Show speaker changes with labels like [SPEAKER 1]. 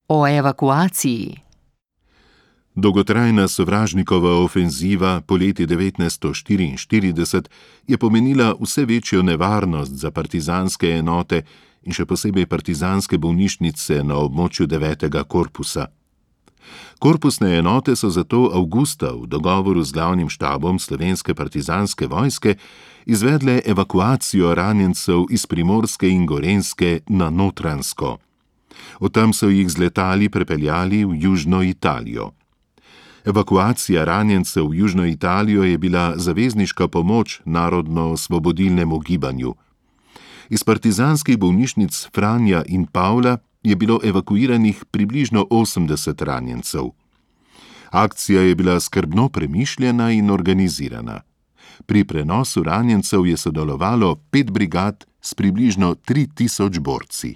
[SPEAKER 1] O evakuaciji.
[SPEAKER 2] Dolgotrajna sovražnikova ofenziva poleti 1944 je pomenila vse večjo nevarnost za partizanske enote in še posebej partizanske bolnišnice na območju 9. korpusa. Korpusne enote so zato avgusta v dogovoru z glavnim štabom Slovenske partizanske vojske izvedle evakuacijo ranjencev iz Primorske in Gorenjske na Notranjsko. Od tam so jih z letali prepeljali v južno Italijo. Evakuacija ranjencev v južno Italijo je bila zavezniška pomoč narodno-osvobodilnemu gibanju. Iz partizanskih bolnišnic Franja in Pavla je bilo evakuiranih približno 80 ranjencev. Akcija je bila skrbno premišljena in organizirana. Pri prenosu ranjencev je sodelovalo 5 brigad s približno 3000 borci.